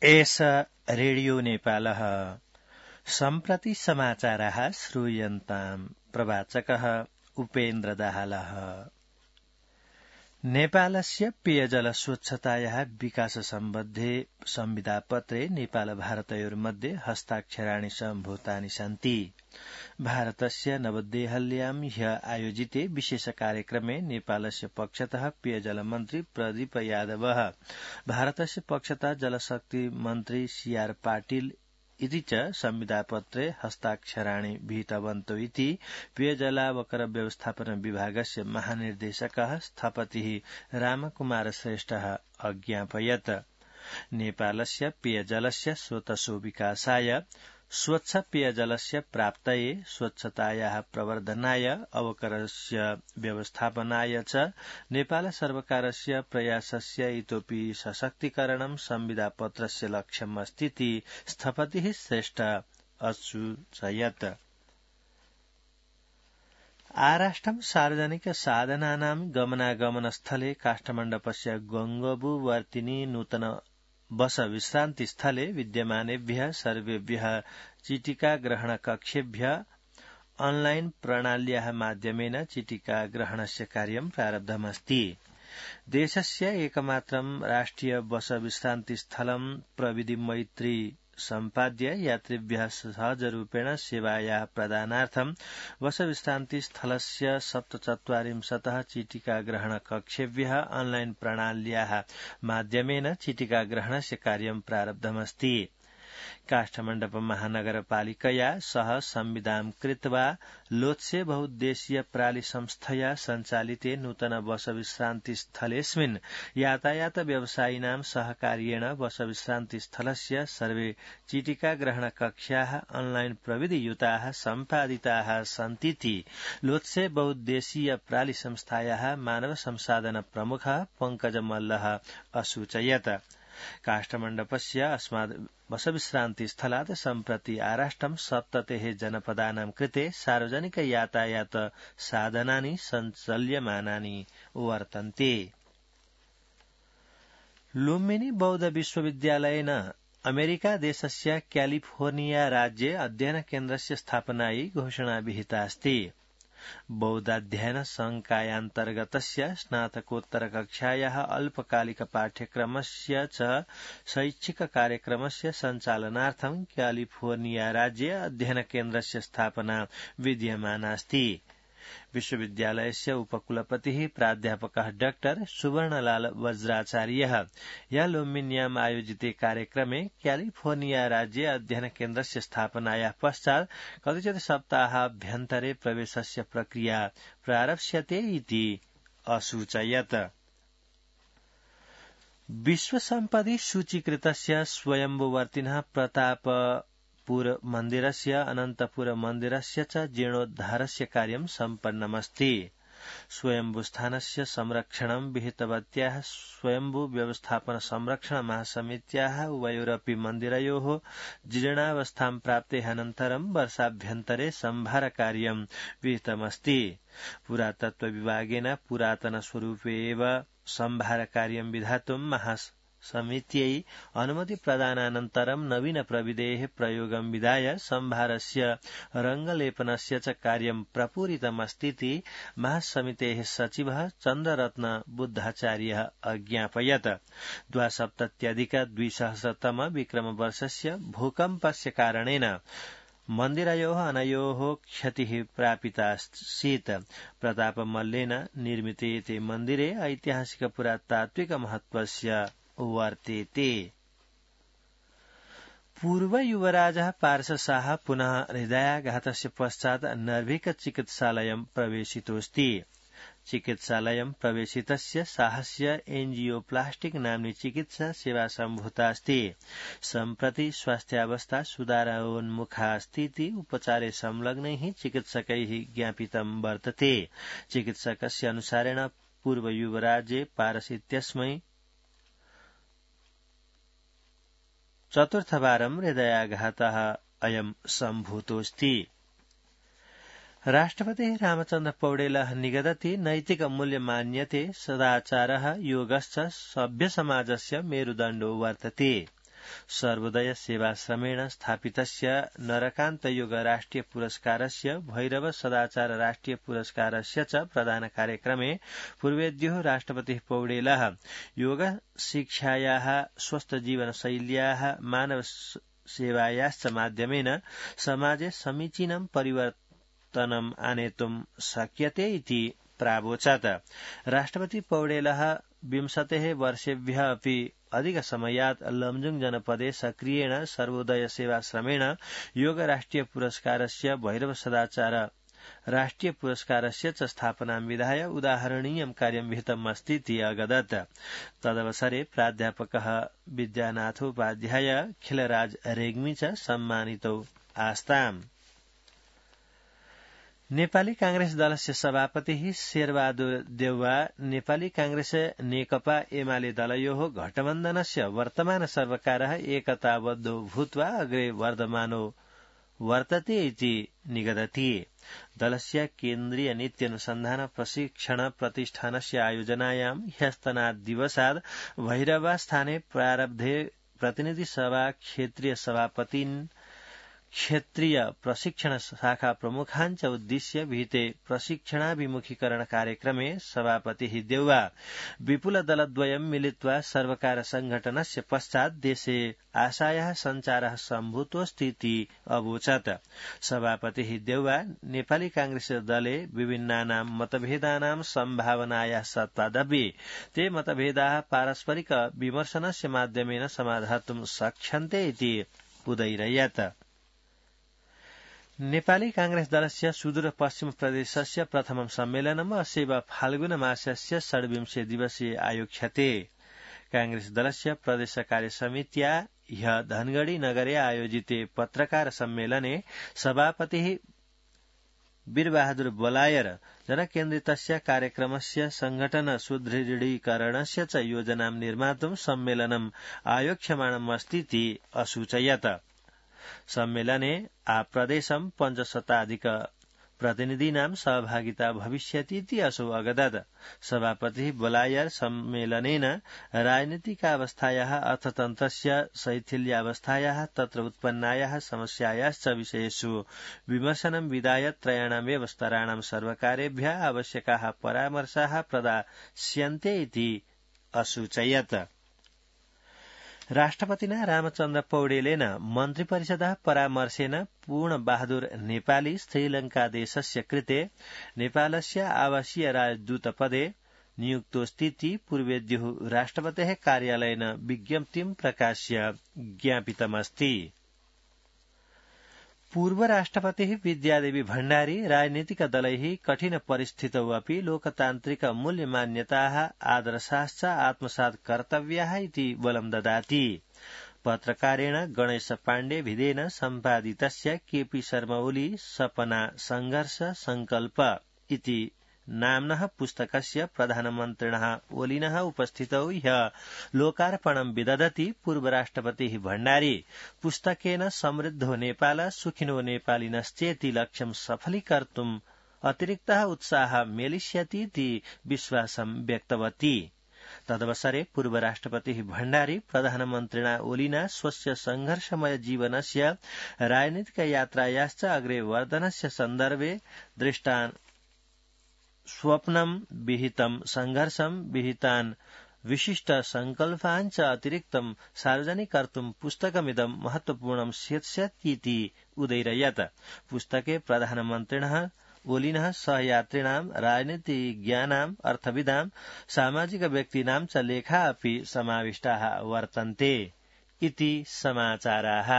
एष रेडियो नेपालः सम्प्रति समाचाराः श्रूयन्ताम् प्रवाचकः उपेन्द्र दाहालः। नेपालस्य पेयजल स्वच्छतायाः विकास सम्बद्धे संविदापत्रे नेपाल भारतयोर्मध्ये हस्ताक्षराणि सम्भूतानि सन्ति। भारतस्य नवदेहल्यां ह्य आयोजिते विशेष कार्यक्रमे नेपालस्य पक्षतः पेयजल मन्त्री प्रदीप यादवः, भारतस्य पक्षतः जलशक्ति मन्त्री सीआर पाटिल इति च संविदापत्रे हस्ताक्षराणि विहितवन्तौ इति पेयजलावकर व्यवस्थापन विभागस्य महानिर्देशकः स्थपतिः रामकुमार श्रेष्ठः अज्ञापयत्। नेपालस्य पेयजलस्य स्रोतसो विकासाय, स्वच्छ पेयजलस्य प्राप्तये, स्वच्छतायाः प्रवर्धनाय, अवकरस्य व्यवस्थापनाय च नेपाल सर्वकारस्य प्रयासस्य इतोपि सशक्तीकरणं संविदापत्रस्य लक्ष्यम् अस्तीति स्थपतिः श्रेष्ठ असूचयत्। आराष्ट्रं सार्वजनिक साधनानां गमनागमनस्थले काष्ठमण्डपस्य गंगबुवर्तिनी नूतन बस विश्रान्ति स्थले विद्यमानेभ्यः सर्वेभ्यः चिटिका ग्रहण कक्षेभ्यः ऑनलाइन प्रणाल्याः माध्यमेन चिटिका ग्रहणस्य कार्यं प्रारब्धमस्ति। देशस्य एकमात्रं राष्ट्रिय बस विश्रान्ति स्थलं प्रविधि मैत्री सम्पाद्य यात्रिभ्यः सहजरूपेण सेवायाः प्रदानार्थं बस विश्रान्ति स्थलस्य 47 चिटिका ग्रहण कक्षेभ्यः ऑनलाइन प्रणाल्याः माध्यमेन चिटिका ग्रहणस्य कार्यं प्रारब्धमस्ति। काष्ठमण्डप महानगरपालिकया सह संविदां कृत्वा लोत्से बहुद्देशीय प्रालि संस्थया सञ्चालिते नूतन बस विश्रान्ति स्थलेऽस्मिन् यातायात व्यवसायिनां सहकार्येण बस विश्रान्ति स्थलस्य सर्वे चिटिका ग्रहण कक्षाः ऑनलाइन प्रविधियुताः सम्पादिताः सन्तीति लोत्से बहुद्देशीय प्रालि संस्थायाः मानव संसाधन प्रमुखः पंकज मल्लः असूचयत्। काष्ठमण्डपस्य अस्माद् बस विश्रान्ति स्थलात् सम्प्रति आराष्ट्रं 70 जनपदानां कृते सार्वजनिक यातायात साधनानि सञ्चाल्यमानानि वर्तन्ते। लुम्बिनी बौद्ध विश्वविद्यालयेन अमेरिका देशस्य क्यालिफोर्निया राज्ये अध्ययन केन्द्रस्य स्थापनायै घोषणा विहिता अस्ति। बौद्धाध्ययन संकायान्तर्गतस्य स्नातकोत्तर कक्षायाः अल्पकालिक पाठ्यक्रमस्य च शैक्षिक कार्यक्रमस्य सञ्चालनार्थं क्यालिफोर्निया राज्ये अध्ययन केन्द्रस्य स्थापना विद्यमानास्ति। विश्वविद्यालयस्य उपकुलपतिः प्राध्यापकः डॉक्टर सुवर्णलाल वज्राचार्यः या लुम्बिन्याम् आयोजिते कार्यक्रमे क्यालिफोर्निया राज्ये अध्ययन केन्द्रस्य स्थापनायाः पश्चात् कतिचित् सप्ताहाभ्यन्तरे प्रवेशस्य प्रक्रिया प्रारप्स्यते इति असूचयत्। विश्वसम्पदि सूचीकृतस्य स्वयम्भुवर्तिनः प्रतापपुर मन्दिरस्य अनन्तपुर मन्दिरस्य च जीर्णोद्धारस्य कार्यं सम्पन्नमस्ति। स्वयम्भूस्थानस्य संरक्षणं विहितवत्याः स्वयम्भू व्यवस्थापन संरक्षण महासमित्याः उभयोरपि मन्दिरयोः जीर्णावस्थां प्राप्तेः अनन्तरं वर्षाभ्यन्तरे सम्भारकार्यं विहितमस्ति। पुरातत्व विभागेन पुरातनस्वरूपे एव सम्भारकार्यं विधातुं महासमित्यै अनुमति प्रदानानन्तरं नवीन प्रविधेः प्रयोगं विधाय सम्भारस्य रङ्गलेपनस्य च कार्यं प्रपूरितमस्तीति महासमितेः सचिवः चन्द्ररत्न बुद्धाचार्यः अज्ञापयत्। 2070-2000 विक्रमवर्षस्य भूकम्पस्य कारणेन मन्दिरयोः अनयोः क्षतिः प्रापितासीत्। प्रतापमल्लेन निर्मिते ते मन्दिरे ऐतिहासिक पुरातात्विक महत्त्वस्य वर्तेते। पूर्व युवराजः पार्श्वशाह पुनः हृदयाघातस्य पश्चात् नर्भिक चिकित्सालयं प्रवेशितोऽस्ति। चिकित्सालयं प्रवेशितस्य शाहस्य एंजियोप्लास्टिक नाम्नी चिकित्सा सेवा सम्भूतास्ति। सम्प्रति स्वास्थ्यावस्था सुधारोन्मुखा अस्तीति उपचारे संलग्नैः चिकित्सकैः ज्ञापितं वर्तते। चिकित्सकस्य अनुसारेण पूर्व युवराजे पारस इत्यस्मै चतुर्थवारं हृदयाघातः अयं सम्भूतोऽस्ति। राष्ट्रपतिः रामचन्द्र पौडेलः निगदति नैतिक मूल्य मान्यते सदाचारः योगश्च सभ्य समाजस्य मेरुदण्डो वर्तते। सर्वोदय सेवाश्रमेण स्थापितस्य नरकान्तयोग राष्ट्रिय पुरस्कारस्य भैरव सदाचार राष्ट्रिय पुरस्कारस्य च प्रदान कार्यक्रमे पूर्वेद्युः राष्ट्रपतिः पौडेलः योग शिक्षायाः स्वस्थ जीवनशैल्याः मानव सेवायाश्च माध्यमेन समाजे समीचीनं परिवर्तनम् आनेतुं शक्यते इति प्रावोचत्। राष्ट्रपति पौडेलः 20 वर्षेभ्यः अपि अधिकसमयात् लमजुङ जनपदे सक्रियेण सर्वोदय सेवाश्रमेण योग राष्ट्रिय पुरस्कारस्य भैरव सदाचार राष्ट्रिय पुरस्कारस्य च स्थापनां विधाय उदाहरणीयं कार्यं विहितम् अस्ति इति अगदत्। तदवसरे प्राध्यापकः विद्यानाथोपाध्याय खिलराज रेग्मी च सम्मानितौ आस्ताम्। नेपाली कांग्रेस दलस्य सभापतिः शेरबहादुर देउवा नेपाली कांग्रेस नेकपा एमाले दलयोः गठबन्धनस्य वर्तमान सर्वकारः एकताबद्धो भूत्वा अग्रे वर्धमानो वर्तते इति निगदति। दलस्य केन्द्रीय नीत्यनुसन्धान प्रशिक्षण प्रतिष्ठानस्य आयोजनायां ह्यस्तनाद्दिवसाद् भैरवास्थाने प्रारब्धे प्रतिनिधि सभा क्षेत्रीय सभापतिन् क्षेत्रीय प्रशिक्षण शाखा प्रमुखान् च उद्दिश्य विहिते प्रशिक्षणाभिमुखीकरण कार्यक्रमे सभापतिः देउवा विपुल दलद्वयं मिलित्वा सर्वकार संघटनस्य पश्चात् देशे आशायाः सञ्चारः सम्भूतोऽस्ति इति अवोचत्। सभापतिः देउवा नेपाली कांग्रेस दले विभिन्नानां मतभेदानां सम्भावनायाः सत्त्वादपि ते मतभेदाः पारस्परिक विमर्शनस्य माध्यमेन समाधातुं शक्यन्ते इति उदयिरयत्। नेपाली कांग्रेस दलस्य सुदूर पश्चिम प्रदेशस्य प्रथमं सम्मेलनम् अस्यैव फाल्गुन मासस्य 26 दिवसीय आयोक्ष्यते। कांग्रेस दलस्य प्रदेश कार्य समित्या ह्य धनगढ़ी नगरे आयोजिते पत्रकार सम्मेलने सभापतिः वीरबहादुर बलायर जनकेन्द्रितस्य कार्यक्रमस्य संघटन सुदृढीकरणस्य च योजनां निर्मातुं सम्मेलनम् आयोक्ष्यमाणमस्ति इति असूचयत्। सम्मेलने आप्रदेशं 500 प्रतिनिधीनां सहभागिता भविष्यति इति असौ अगदत्। सभापतिः बलायर सम्मेलनेन राजनीतिकावस्थायाः अर्थतन्त्रस्य शैथिल्यावस्थायाः तत्र उत्पन्नायाः समस्यायाश्च विषयेषु विमर्शनं विधाय त्रयाणामेव स्तराणां सर्वकारेभ्यः आवश्यकाः परामर्शाः प्रदास्यन्ते इति असूचयत्। राष्ट्रपतिना रामचन्द्र पौडेलेन मन्त्रिपरिषदः परामर्शेन पूर्णबहादुर नेपाली श्रीलङ्कादेशस्य कृते नेपालस्य आवासीय राजदूतपदे नियुक्तोऽस्ति इति पूर्वेद्युः राष्ट्रपतेः कार्यालयेन विज्ञप्तिं प्रकाश्य ज्ञापितमस्ति। पूर्व राष्ट्रपतिः विद्यादेवी भण्डारी राजनीतिक दलैः कठिन परिस्थितौ अपि लोकतान्त्रिक मूल्यमान्यताः आदर्शाश्च आत्मसात् कर्तव्याः इति बलं ददाति। पत्रकारेण गणेश पाण्डे भिदेन सम्पादितस्य केपी शर्मा ओली सपना संघर्ष संकल्प इति नाम्नः पुस्तकस्य प्रधानमन्त्रिणः ओलिनः उपस्थितौ ह्यः लोकार्पणं विदधति पूर्व राष्ट्रपतिः भण्डारी पुस्तकेन समृद्धो नेपाल सुखिनो नेपालिनश्चेति लक्ष्यं सफलीकर्तुम् अतिरिक्तः उत्साहः मेलिष्यति इति विश्वासं व्यक्तवती। तदवसरे पूर्व राष्ट्रपतिः भण्डारी प्रधानमन्त्रिणा ओलिना स्वस्य संघर्षमय जीवनस्य राजनीतिक यात्रायाश्च अग्रे वर्धनस्य सन्दर्भे दृष्टान् स्वप्नं विहितं संघर्षं विहितान् विशिष्ट संकल्पान् च अतिरिक्तं सार्वजनिकर्तुं पुस्तकमिदं महत्वपूर्णं स्यात्स्यतीति उदयिरयत्। पुस्तके प्रधानमन्त्रिणः ओलिनः सहयात्रिणां राजनीतिज्ञानां अर्थविदां सामाजिक व्यक्तीनां च लेखा अपि समाविष्टाः वर्तन्ते इति समाचाराः।